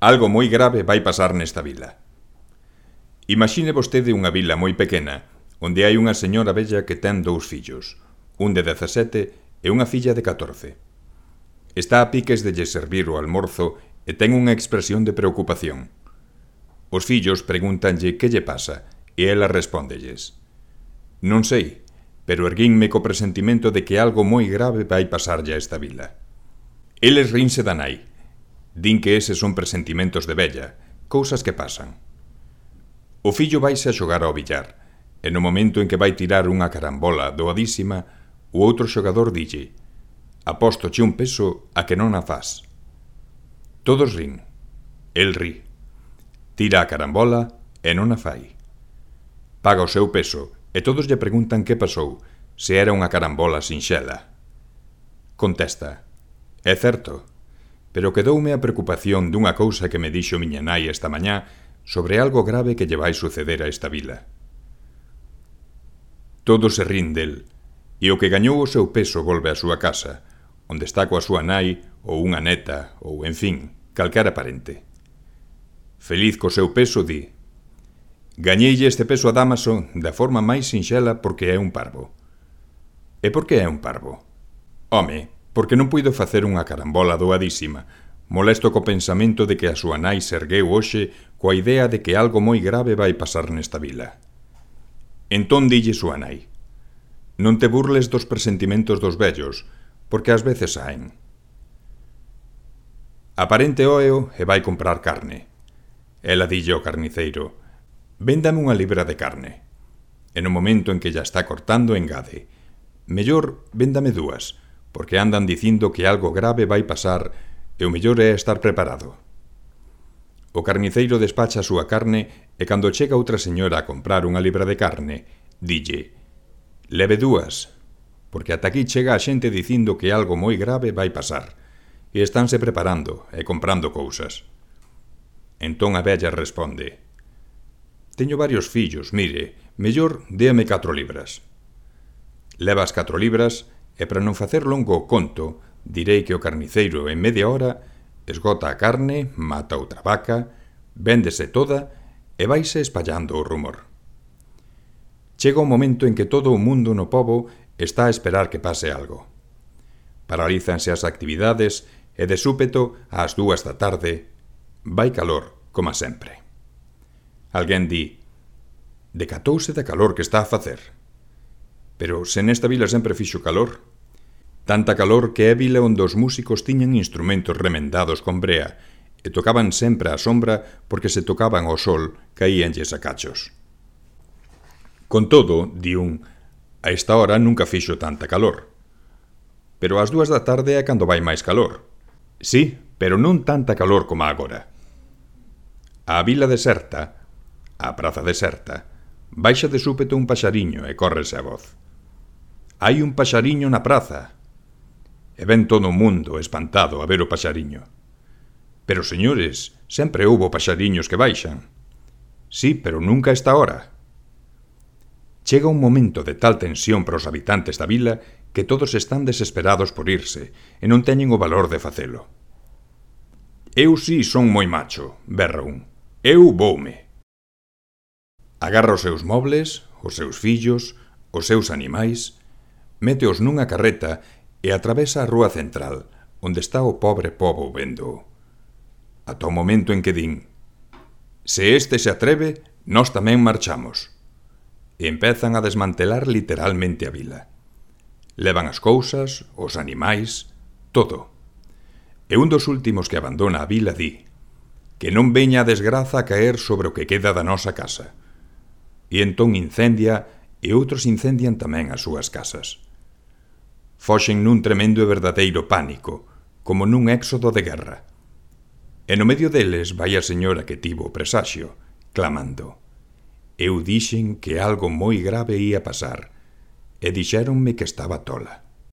Algo moi grave vai pasar nesta vila. Imagine vostede unha vila moi pequena, onde hai unha señora vella que ten 2 fillos, un de 17 e unha filla de 14. Está a piques de lle servir o almorzo e ten unha expresión de preocupación. Os fillos pregúntanlle que lle pasa e ela respóndelles: non sei, pero erguínme co presentimento de que algo moi grave vai pasarlle a esta vila. Eles rinse da nai. Din que eses son presentimentos de vella, cousas que pasan. O fillo vaise a xogar ao billar, e no momento en que vai tirar unha carambola doadísima, o outro xogador dille: apóstoche un peso a que non a fas. Todos rin. El ri. Tira a carambola e non a fai. Paga o seu peso e todos lle preguntan que pasou, se era unha carambola sinxela. Contesta: é certo, pero quedoume a preocupación dunha cousa que me dixo miña nai esta mañá sobre algo grave que lle vai suceder a esta vila. Todos se rin del, e o que gañou o seu peso volve á súa casa, onde está coa súa nai ou unha neta ou, en fin, calquera parente. Feliz co seu peso, di: gañeille este peso a Dámaso da forma máis sinxela porque é un parvo. E por que é un parvo? Home, porque non puido facer unha carambola doadísima, molesto co pensamento de que a súa nai se ergueu hoxe coa idea de que algo moi grave vai pasar nesta vila. Entón dille súa nai: non te burles dos presentimentos dos vellos, porque ás veces saen. Aparente óeo e vai comprar carne. Ela dille ao carniceiro: véndame unha libra de carne. E no momento en que ya está cortando engade: mellor véndame 2, porque andan dicindo que algo grave vai pasar e o mellor é estar preparado. O carniceiro despacha a súa carne e cando chega outra señora a comprar unha libra de carne, dille: leve 2, porque ata aquí chega a xente dicindo que algo moi grave vai pasar e estánse preparando e comprando cousas. Entón a vella responde: teño varios fillos, mire, mellor déame 4 libras. Leva as 4 libras e para non facer longo o conto, direi que o carniceiro en media hora esgota a carne, mata outra vaca, véndese toda e vaise espallando o rumor. Chega o momento en que todo o mundo no pobo está a esperar que pase algo. Paralízanse as actividades e de súpeto, ás 2 da tarde, vai calor, como sempre. Alguén di: decatouse da calor que está a facer. Pero se nesta vila sempre fixo calor. Tanta calor que é vila onde os músicos tiñan instrumentos remendados con brea e tocaban sempre á sombra porque se tocaban ao sol caíanlles a cachos. Con todo, di un, a esta hora nunca fixo tanta calor. Pero ás 2 da tarde é cando vai máis calor. Sí, pero non tanta calor como agora. A vila deserta, a praza deserta, baixa de súpeto un paxariño e córrese a voz: hai un paxariño na praza. E ven todo o mundo espantado a ver o paxariño. Pero, señores, sempre houbo paxariños que baixan. Sí, pero nunca a esta hora. Chega un momento de tal tensión para os habitantes da vila que todos están desesperados por irse e non teñen o valor de facelo. Eu sí son moi macho, berra un. Eu voume. Agarra os seus mobles, os seus fillos, os seus animais, méteos nunha carreta e atravesa a rúa central, onde está o pobre pobo vendo. Ata o momento en que din: se este se atreve, nós tamén marchamos. E empezan a desmantelar literalmente a vila. Levan as cousas, os animais, todo. E un dos últimos que abandona a vila di: que non veña a desgraza a caer sobre o que queda da nosa casa. E entón incendia e outros incendian tamén as súas casas. Foxen nun tremendo e verdadeiro pánico, como nun éxodo de guerra. E no medio deles vai a señora que tivo o presaxio, clamando: eu dixen que algo moi grave ía pasar, e dixéronme que estaba tola.